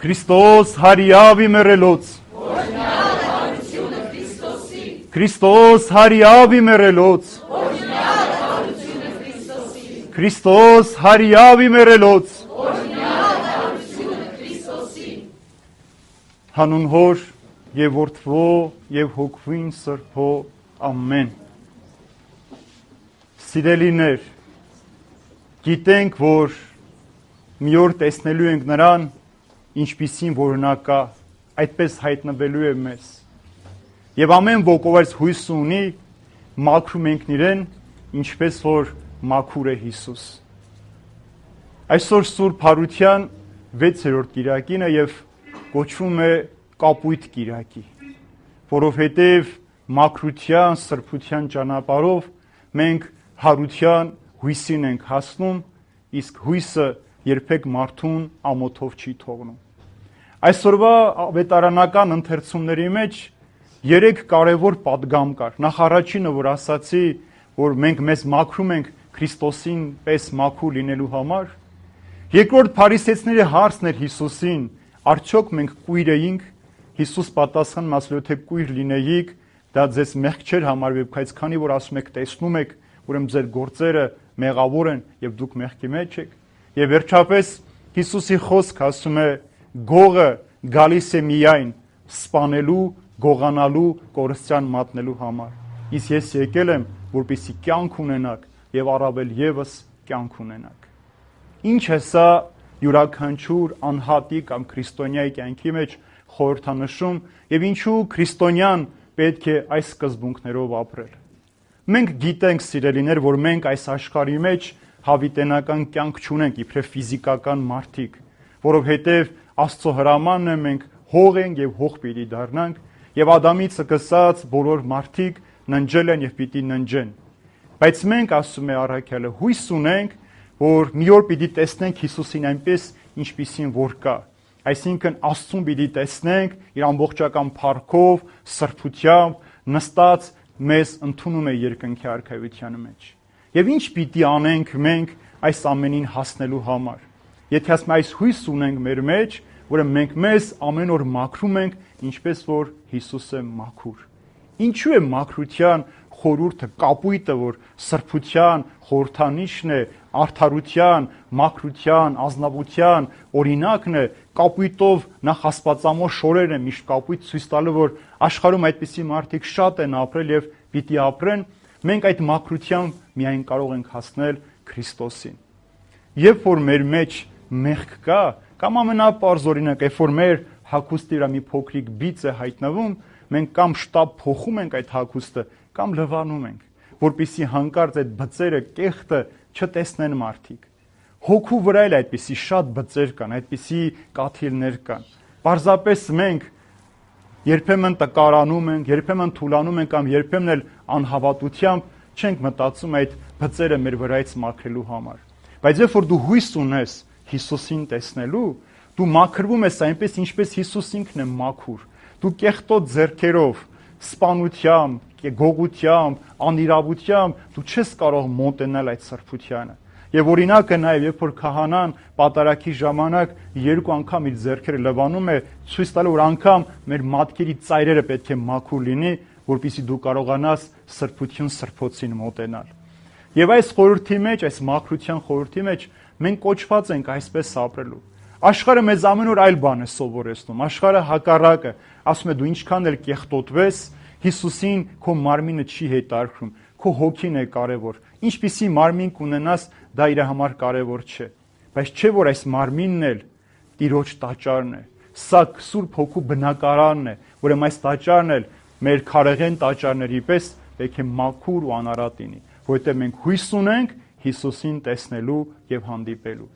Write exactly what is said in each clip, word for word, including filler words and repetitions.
Քրիստոս հարիավի մերելոց Օրհնյալ է հարությունը Քրիստոսի Քրիստոս հարիավի մերելոց Օրհնյալ է հարությունը Քրիստոսի Քրիստոս հարիավի մերելոց Օրհնյալ է հարությունը Քրիստոսի Հանուն Հոր եւ Որդվո եւ Հոգվին Սրբո ամեն Սիրելիներ գիտենք որ մի օր տեսնելու ենք նրան ինչպիսին որ նա կա այդպես հայտնվելու է մեզ եւ ամեն ոք ով այս հույսը ունի մաքրում ենք իրեն ինչպես որ մաքուր է Հիսուս այսօր Սուրբ Հարության վեցերորդ կիրակին է եւ կոչվում է Կապույտ կիրակի որովհետեւ մաքրության սրբության ճանապարհով մենք հարության հույսին ենք հասնում իսկ հույսը երբեք մարդուն ամոթով չի թողնում այսօրվա ավետարանական ընթերցումների մեջ երեք կարևոր պատգամ կար նախ առաջինը որ ասացի որ մենք մեզ մաքրում ենք Քրիստոսին պես մաքուր լինելու համար երկրորդ փարիսեցիների հարցն էր Հիսուսին արդյոք մենք կույր էինք Հիսուս պատասխանում ասել թե կույր լինեիք դա ձեզ մեղք չէր համարվի բայց քանի որ ասում եք տեսնում եք ուրեմն ձեր գործերը մեղավոր են եւ դուք մեղքի մեջ եք եւ վերջապես Հիսուսի խոսքը ասում է գողը գալիս է միայն սպանելու գողանալու կորստյան մատնելու համար իսկ ես եկել եմ որպեսզի կյանք ունենաք եւ առավել եւս կյանք ունենաք ինչ է սա յուրաքանչյուր անհատի կամ քրիստոնյայի կյանքի մեջ խորհրդանշում եւ ինչու քրիստոնյան պետք է այս սկզբունքներով ապրել մենք գիտենք սիրելիներ որ մենք այս աշխարհի մեջ հավիտենական կյանք չունենք իբրև ֆիզիկական մարդիկ որովհետեւ Աստծո հրամանն է մենք հող ենք եւ հող պիտի դառնանք եւ Ադամից սկսած բոլոր մարդիկ ննջել են եւ պիտի ննջեն բայց մենք ասում է առաքյալը հույս ունենք որ մի օր պիտի տեսնենք Հիսուսին այնպես ինչպիսին որ կա այսինքն Աստծուն պիտի տեսնենք իր ամբողջական փառքով սրբությամբ նստած մեզ ընդունում է երկնքի արքայության մեջ եւ ինչ պիտի անենք մենք այս ամենին հասնելու համար եթե ասում այս հույս ունենք մեր մեջ ուրեմն մենք մեզ ամեն օր մաքրում ենք ինչպես որ Հիսուսը մաքուր ինչու է մաքրության խորհուրդը կապույտը որ սրբության խորհրդանիշն է արդարության մաքրության ազնվության օրինակն է կապույտով նախ աստվածամոր շորերն են միշտ կապույտ ցույց տալու որ աշխարհում այդպիսի մարդիկ շատ են ապրել եւ պիտի ապրեն մենք այդ մաքրությամբ միայն կարող ենք հասնել Քրիստոսին երբ որ մեր մեջ մեղք կա կամ ամենապարզ օրինակ երբ որ մեր հագուստի վրա մի փոքրիկ բիծ է հայտնվում մենք կամ շտապ փոխում ենք այդ հագուստը կամ լվանում ենք որպեսզի հանկարծ այդ բծերը կեղտը չտեսնեն մարդիկ հոգու վրա էլ այդպիսի շատ բծեր կան այդպիսի կաթիլներ կան պարզապես մենք երբեմն տկարանում ենք երբեմն թուլանում ենք կամ երբեմն էլ անհավատությամբ չենք մտածում այդ բծերը մեր վրայից մաքրելու համար բայց երբ որ դու հույս ունես Հիսուսին տեսնելու դու մաքրվում ես այնպես ինչպես Հիսուս ինքն է մաքուր դու կեղտոտ ձեռքերով սպանությամբ գողությամբ անիրավությամբ դու չես կարող մոտենալ այդ սրբությանը եւ օրինակը նաեւ երբ որ քահանան պատարագի ժամանակ երկու անգամ իր ձեռքերը լվանում է ցույց տալու որ անգամ մեր մատքերի ծայրերը պետք է մաքուր լինի որպեսզի դու կարողանաս սրբություն սրբոցին մոտենալ եւ այս խորհրդի մեջ այս մաքրության խորհրդի մեջ մենք կոչված ենք այսպես ապրելու աշխարհը մեզ ամեն օր այլ բան է սովորեցնում աշխարհը հակառակը ասում է դու ինչքան էլ կեղտոտվես Հիսուսին քո մարմինը չի հետարքրում քո հոգին է կարևոր ինչպիսի մարմին կունենաս դա իր համար կարևոր չէ բայց չէ որ այս մարմինն էլ Տիրոջ տաճարն է սա Սուրբ Հոգու բնակարանն է ուրեմն այս տաճարն էլ մեր քարեղեն տաճարների պես պետք է մաքուր ու անարատ լինի որովհետեւ մենք հույս ունենք Հիսուսին տեսնելու եւ հանդիպելու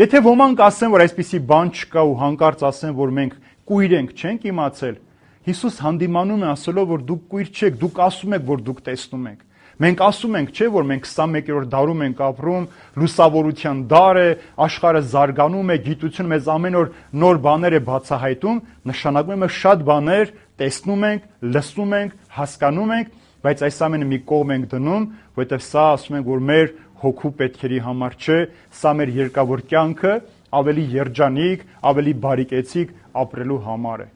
եթե ոմանք ասեն որ այսպիսի բան չկա ու հանկարծ ասեն որ մենք կույր ենք չենք իմացել Հիսուս հանդիմանում է ասելով որ դուք կույր չեք դուք ասում եք որ դուք տեսնում եք մենք ասում ենք չէ որ մենք քսանմեկերորդ դարում ենք ապրում լուսավորության դար է աշխարհը զարգանում է գիտությունը մեզ ամեն օր նոր բաներ է բացահայտում նշանակում է շատ բաներ տեսնում ենք լսում ենք հասկանում ենք բայց այս ամենը մի կողմ ենք դնում որովհետև սա ասում ենք որ մեր հոգու պետքերի համար չէ սա մեր երկավոր կյանքը ավելի երջանիկ, ավելի բարիկեցիկ ապրելու համար է։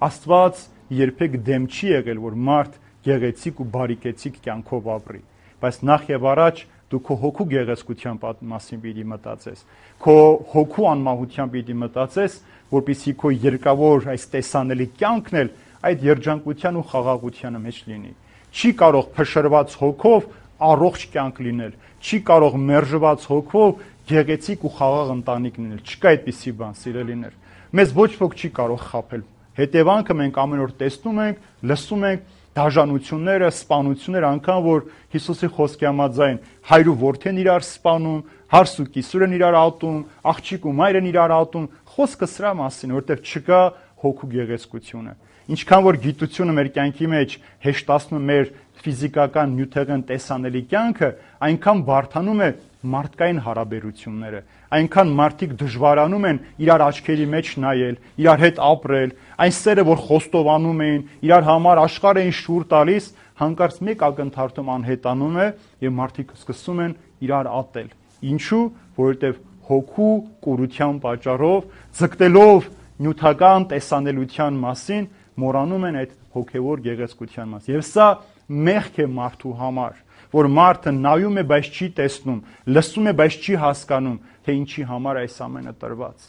Աստված երբեք դեմ չի եղել, որ մարդ գեղեցիկ ու բարիկեցիկ կյանքով ապրի, բայց նախ եւ առաջ դու քո հոգու գեղեցկության մասին պիտի մտածես, քո հոգու անմահության պիտի մտածես, որպեսզի քո երկավոր այս տեսանելի կյանքն էլ այդ երջանկության ու խաղաղության մեջ լինի։ Չի կարող փշրված հոգով առողջ կյանք լինել, չի կարող մերժված հոգով գեղեցիկ ու խաղաղ ընտանիք լինել։ Չկա այդպիսի բան, սիրելիներ։ Մեզ ոչ ոք չի կարող խաբել։ Հետևանքը մենք ամեն օր տեսնում ենք, լսում ենք դաժանությունները, սպանությունները, անգամ որ Հիսուսի խոսքի համաձայն հայր ու որդին իրար սպանում, հարս ու կիսուր են իրար ատում, աղջիկ ու մայր են իրար ատում, խոսքը սրա մասին, որտեղ չկա հոգու գեղեցկությունը։ Ինչքան որ գիտությունը մեր կյանքի մեջ հեշտացնում է մեր ֆիզիկական նյութեղեն տեսանելի կյանքը, այնքան բարդանում է մարդկային հարաբերությունները, այնքան մարդիկ դժվարանում են իրար աչքերի մեջ նայել, իրար հետ ապրել, այն սերը, որ խոստովանում էին, իրար համար աշխարհ էին շուռ տալիս, հանկարծ մեկ ակնթարթում անհետանում է եւ մարդիկ սկսում են իրար ատել։ Ինչու՞, որովհետեւ հոգու կուրության պատճառով, ձգտելով նյութական տեսանելիության մասին, մոռանում են այդ հոգեվոր գեղեցկության մասին։ Եվ սա մեղք է մարդու համար, որ մարդը նայում է, բայց չի տեսնում, լսում է, բայց չի հասկանում, թե ինչի համար այս ամենը տրված։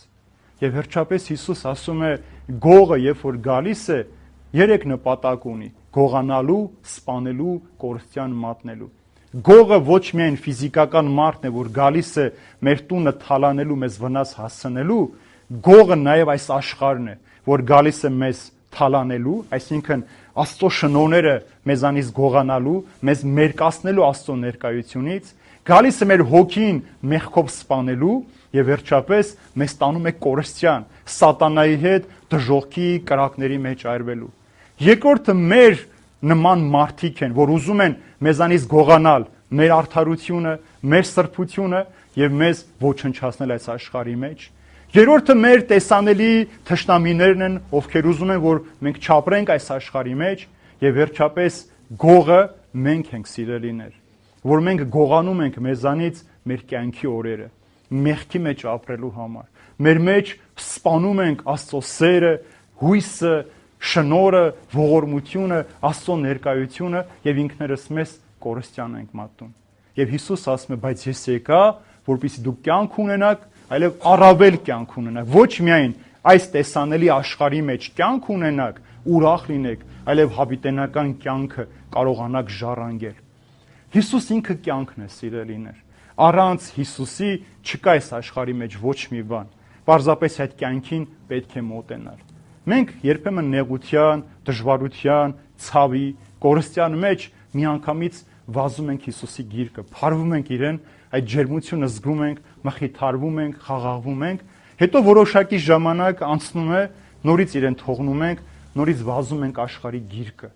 Եվ վերջապես Հիսուս ասում է, գողը երբ որ գալիս է, երեք նպատակ ունի՝ գողանալու, սպանելու, կորստյան մատնելու։ Գողը ոչ միայն ֆիզիկական մարդն է, որ գալիս է մեր տունը թալանելու, մեզ վնաս հասցնելու, գողը նաև այս աշխարհն է, որ գալիս է մեզ թալանելու, այսինքն Աստծո շնորհները մեզանից գողանալու, մեզ մերկացնելու Աստծո ներկայությունից, գալիս է մեր հոգին մեղքով սպանելու եւ վերջապես մեզ տանում է կորստյան, սատանայի հետ դժոխքի կրակների մեջ այրվելու։ Երկրորդը մեր նման մարդիկ են, որ ուզում են մեզանից գողանալ մեր արդարությունը, մեր սրբությունը եւ մեզ ոչնչացնել այս աշխարհի մեջ։ Երրորդը մեր տեսանելի թշնամիներն են, ովքեր ուզում են, որ մենք չապրենք այս աշխարհի մեջ, եւ վերջապես գողը մենք ենք, սիրելիներ, որ մենք գողանում ենք մեզանից մեր կյանքի օրերը, մեղքի մեջ ապրելու համար։ Մեր մեջ սպանում ենք Աստծո սերը, հույսը, շնորհը, ողորմությունը, Աստծո ներկայությունը եւ ինքներս մեզ կորստյան ենք մատնում։ Եվ Հիսուս ասում է, բայց ես եկա, որպեսզի դուք կյանք ունենաք, այլև առավել կյանք ունենաք, ոչ միայն այս տեսանելի աշխարհի մեջ կյանք ունենաք, ուրախ լինեք, այլև հավիտենական կյանքը կարողանաք ժառանգել։ Հիսուս ինքը կյանքն է, սիրելիներ։ Առանց Հիսուսի չկա այս աշխարհի մեջ ոչ մի բան։ Պարզապես այդ կյանքին պետք է մոտենալ։ Մենք երբեմն նեղության, դժվարության, ցավի, կորստյան մեջ միանգամից վազում ենք Հիսուսի գիրկը, փարվում ենք իրեն, այդ ջերմությունը զգում ենք, մխիթարվում ենք, խաղաղվում ենք, հետո որոշակի ժամանակ անցնում է, նորից իրեն թողնում ենք, նորից վազում ենք աշխարհի գիրկը։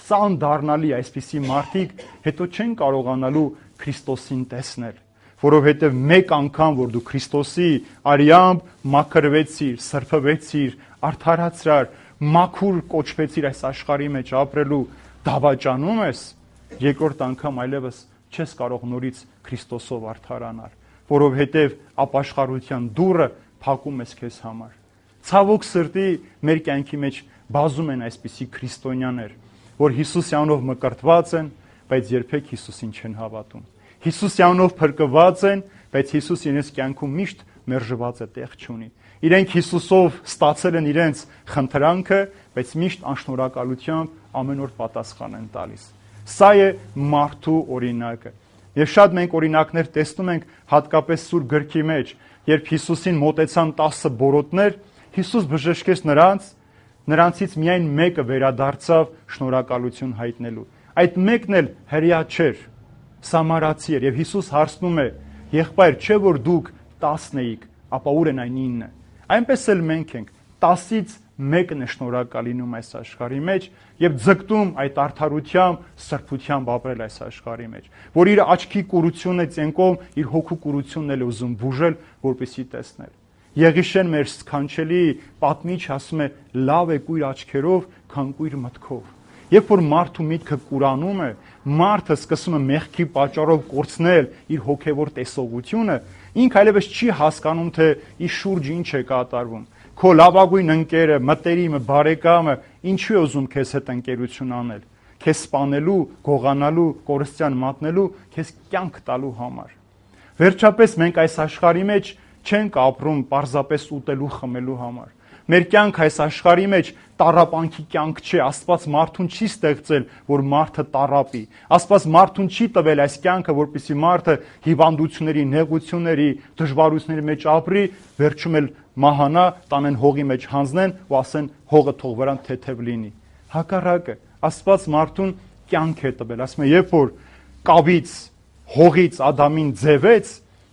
Սա անդառնալի այսպիսի մարդիկ հետո չեն կարողանալու Քրիստոսին տեսնել, որովհետև մեկ անգամ, որ դու Քրիստոսի արյամբ մաքրվեցիր, սրբվեցիր, արդարացրար, մաքուր կոչվեցիր այս աշխարհի մեջ ապրելու դավաճանում ես, երկրորդ անգամ այլևս չես կարող նորից Քրիստոսով արդարանալ, որովհետև ապաշխարության դուռը փակում ես քեզ համար։ Ցավոք սրտի մեր կյանքի մեջ բազում են այսպիսի քրիստոնյաներ, որ Հիսուսի անունով մկրտված են, բայց երբեք Հիսուսին չեն հավատում։ Հիսուսի անունով փրկված են, բայց Հիսուս իրենց կյանքում միշտ մերժված է, տեղ չունի։ Իրենք Հիսուսով ստացել են իրենց խնդրանքը, բայց միշտ անշնորհակալությամբ ամեն օր պատասխան են տալիս։ Սա է մարդու օրինակը։ Եվ շատ մենք օրինակներ տեսնում ենք հատկապես Սուրբ գրքի մեջ, երբ Հիսուսին մոտեցան տասը բորոտներ, Հիսուս բժշկեց նրանց, նրանցից միայն մեկը վերադարձավ շնորհակալություն հայտնելու։ Այդ մեկն էլ հրեա չէր, սամարացի էր, եւ Հիսուս հարցնում է. «Եղբայր, չէ՞ որ դուք տասն էիք, ապա ուր են այն ինը»։ Այնպես էլ մենք ենք, տասից մեկն է շնորհակալ լինում այս աշխարհի մեջ եւ ձգտում այդ արդարությամբ, սրբությամբ ապրել այս աշխարհի մեջ, որ իր աչքի կուրությունը ցենկով իր հոգու կուրությունն էլ ուզում բուժել, որպեսի տեսնել։ Եղիշեն մեր սքանչելի պատմիչ ասում է. «Լավ է կույր աչքերով, քան կույր մտքով»։ Երբ որ մարդու միտքը կուրանում է, մարդը սկսում է մեղքի պատճառով կորցնել իր հոգևոր տեսողությունը, ինքը այլևս չի հասկանում, թե իր շուրջը ինչ է կատարվում։ Քո լավագույն ընկերը, մտերիմը, բարեկամը ինչու է ուզում քեզ հետ ընկերություն անել։ Քեզ սպանելու, գողանալու, կորստյան մատնելու, քեզ կյանք տալու համար։ Վերջապես մենք այս աշխարհի մեջ չենք ապրում պարզապես ուտելու, խմելու համար։ Մեր կյանքը այս աշխարհի մեջ տառապանքի կյանք չէ։ Աստված մարդուն չի ստեղծել, որ մարդը տառապի։ Աստված մարդուն չի տվել այս կյանքը, որպեսզի մարդը հիվանդությունների, նեղությունների, դժվարությունների մեջ ապրի, վերջում էլ մահանա, տանեն հողի մեջ հանձնեն ու ասեն հողը թող վրան թեթև լինի։ Հակառակը, Աստված մարդուն կյանք է տվել։ Ասում է, երբ որ կավից, հողից Ադամին ձևեց,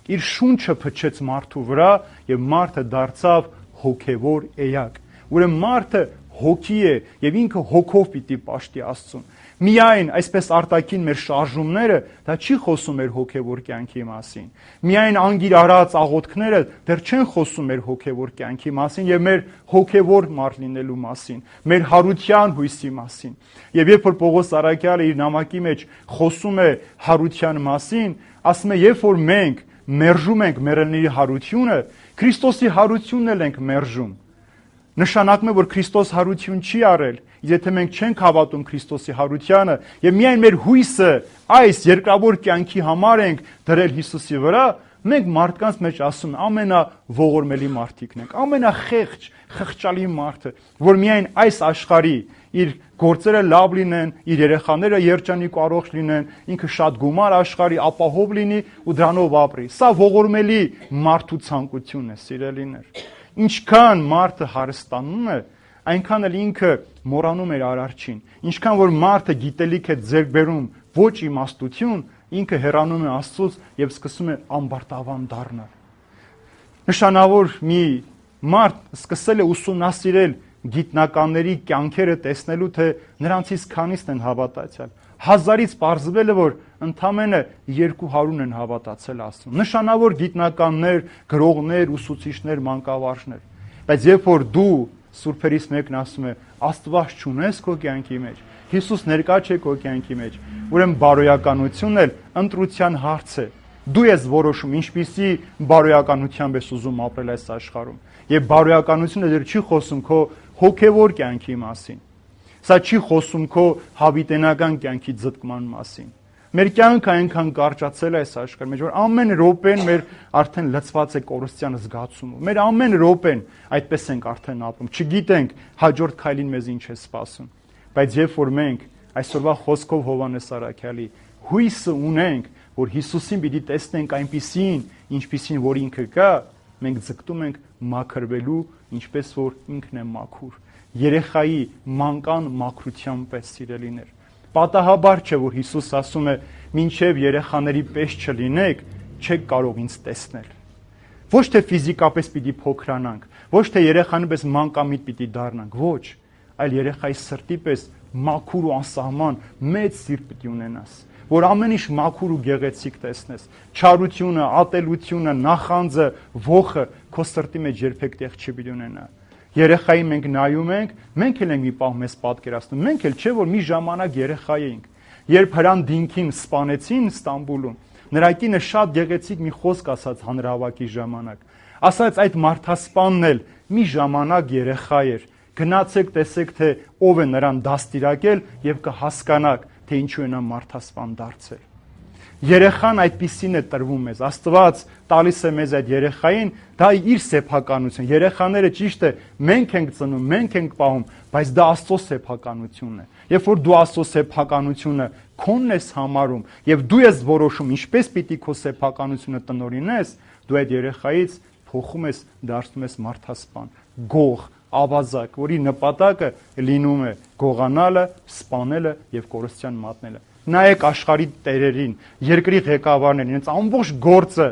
իր շունչը փչեց մարդու վրա եւ մարդը դարձավ հոգևոր էակ։ Ուրեմն մարդը հոգի է եւ ինքը հոգով պիտի պաշտի Աստծուն։ Միայն այսպես արտաքին մեր շարժումները դա չի խոսում մեր հոգևոր կյանքի մասին։ Միայն անգիր արած աղոթքները դեռ չեն խոսում մեր հոգևոր կյանքի մասին եւ մեր հոգևոր մարդ լինելու մասին, մեր հարության հույսի մասին։ Եվ երբ որ Պողոս Արաքյալը իր նամակի մեջ խոսում է հարության մասին, ասում է, երբ որ մենք մերժում ենք մեռելների հարությունը, Քրիստոսի հարությունն էլ ենք մերժում։ Նշանակում է, որ Քրիստոս հարություն չի արել։ Եթե մենք չենք հավատում Քրիստոսի հարությանը եւ միայն մեր հույսը այս երկրավոր կյանքի համար ենք դրել Հիսուսի վրա, մենք մարդկանց մեջ ասում ամենաողորմելի մարդիկն ենք, ամենախեղճ, խղճալի մարդը, որ միայն այս աշխարհի իր գործերը լավ լինեն, իր երեխաները երջանիկ առողջ լինեն, ինքը շատ գումար աշխարհի ապահով լինի ու դրանով ապրի։ Սա ողորմելի մարդու ցանկությունն է, սիրելիներ։ Ինչքան մարդը հարստանում է, այնքան էլ ինքը մոռանում է արարչին։ Ինչքան որ մարդը գիտելիք է ձեռք բերում ոչ իմաստություն, ինքը հեռանում է Աստծուց եւ սկսում է ամբարտավան դառնալ։ Նշանավոր մի մարդ սկսել է ուսումնասիրել գիտնականների կյանքերը տեսնելու, թե նրանցից քանիսն են հավատացյալ։ Հազարից պարզվել է, որ ընդամենը երկու հարյուրն են հավատացել Աստծուն։ Նշանավոր գիտնականներ, գրողներ, ուսուցիչներ, մանկավարժներ։ Բայց երբ որ դու սուրբերից մեկն ասում է, Աստված չունես քո կյանքի մեջ, Հիսուս ներկա չէ քո կյանքի մեջ, ուրեմն բարոյականությունն էլ ընտրության հարց է։ Դու ես որոշում ինչպիսի բարոյականությամբ ես ուզում ապրել այս աշխարհում։ Եվ բարոյականությունը դեռ չի խոսում քո հոգևոր կյանքի մասին։ Սա չի խոսում քո հավիտենական կյանքի ձգտման մասին։ Մեր կյանքը այնքան կարճացել է այս աշխարհի մեջ, որ ամեն րոպեն մեր արդեն լցված է կորստյան զգացումով։ Մեր ամեն րոպեն այդպես ենք արդեն ապրում։ Չգիտենք հաջորդ քայլին մեզ ինչ է սպասում։ Բայց երբ որ մենք այսօրվա խոսքով Հովհաննես Առաքյալի հույսը ունենք, որ Հիսուսին պիտի տեսնենք այնպիսին, ինչպիսին որ ինքը կա, մենք ձգտում ենք մաքրվելու, ինչպես որ ինքն է մաքուր։ Երեխայի մանկան մաքրության պես, սիրելիներ։ Պատահաբար չէ, որ Հիսուս ասում է, մինչև երեխաների պես չլինեք, չեք կարող ինձ տեսնել։ Ոչ թե ֆիզիկապես պիտի փոքրանանք, ոչ թե երեխանի պես մանկամիտ պիտի դառնանք, ոչ, այլ երեխայի սրտի պես մաքուր ու անսահման մեծ սիրտ պիտի ունենաս, որ ամեն ինչ մաքուր ու գեղեցիկ տեսնես։ Չարությունը, ատելությունը, նախանձը, ոխը քո սրտի մեջ երբեք տեղ չպիտի ունենա։ Երեխայի մենք նայում ենք, մենք էլ ենք մի պահ մեզ պատկերացնում, մենք էլ չէ որ մի ժամանակ երեխա էինք։ Երբ Հրան Դինքին սպանեցին Ստամբուլում, նրա կինը շատ գեղեցիկ մի խոսք ասաց հանրահավաքի ժամանակ։ Ասաց այդ մարդասպանն էլ մի ժամանակ երեխա էր։ Գնացեք տեսեք, թե ով է նրան դաստիարակել եւ կհասկանաք, թե ինչու է նա մարդասպան դարձել։ Երեխան այդպիսին է տրվում մեզ։ Աստված տալիս է մեզ այդ երեխային, դա իր սեփականություն։ Երեխաները ճիշտ է, մենք ենք ծնում, մենք ենք պահում, բայց դա Աստծո սեփականությունն է։ Երբ որ դու Աստծո սեփականությունը քոնն ես համարում եւ դու ես որոշում ինչպես պիտի քո սեփականությունը տնօրինես, դու այդ երեխայից փոխում ես, դարձնում ես մարդասպան, գող, ավազակ, որի նպատակը լինում է գողանալը, սպանելը եւ կորստյան մատնելը։ Նայեք աշխարհի տերերին, երկրի ղեկավարներին, իրենց ամբողջ գործը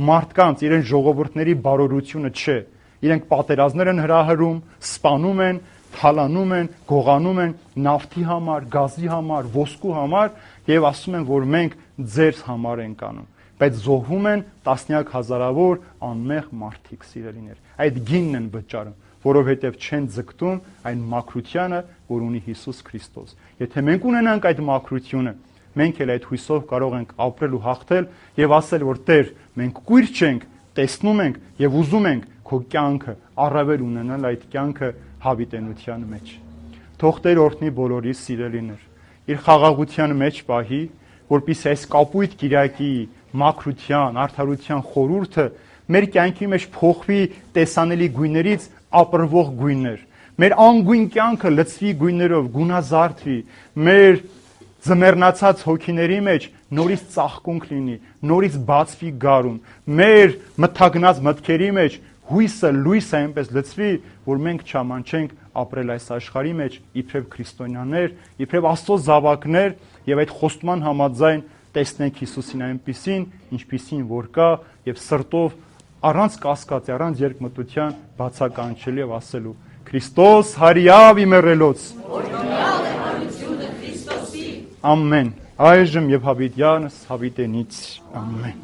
մարդկանց, իրենց ժողովուրդների բարօրությունը չէ։ Իրենք պատերազմներ են հրահրում, սպանում են, թալանում են, գողանում են նավթի համար, գազի համար, ոսկու համար եւ ասում են, որ մենք ձեր համար ենք անում։ Բայց զոհվում են տասնյակ հազարավոր անմեղ մարդիկ, սիրելիներ։ Այդ գինն են վճարում։ որովհետև չեն ձգտում այն մաքրությանը, որ ունի Հիսուս Քրիստոս։ Եթե մենք ունենանք այդ մաքրությունը, մենք էլ այդ հույսով կարող ենք ապրել ու հաղթել եւ ասել, որ Տեր, մենք կույր չենք, տեսնում ենք եւ ուզում ենք քո կյանքը առավել ունենալ այդ կյանքը հավիտենության մեջ։ Թող Տեր օրհնի բոլորի սիրելիներ, իր խաղաղության մեջ պահի, որպեսզի այս կապույտ Կիրակի մաքրության, արդարության խորհուրդը մեր կյանքի մեջ փոխվի տեսանելի գույներից ապրվող գույներ։ Մեր անգույն կյանքը լցվի գույներով, գունազարդվի, մեր ձմեռնացած հոգիների մեջ նորից ծաղկունք լինի, նորից բացվի գարուն, մեր մթագնած մտքերի մեջ հույսը, լույսը այնպես լցվի, որ մենք չամանչենք ապրել այս աշխարհի մեջ իբրև քրիստոնյաներ, իբրև Աստծո զավակներ եւ այդ խոստման համաձայն տեսնենք Հիսուսին այնպիսին, ինչպիսին որ կա եւ սրտով առանց կասկածի, առանց երկմտության բացականչելու եւ ասելու Քրիստոս հարիավ իմերելոց Օրհնյալ է հարությունը Քրիստոսի։ Ամեն։ Այժմ եւ հավիտյանս հավիտենից ամեն։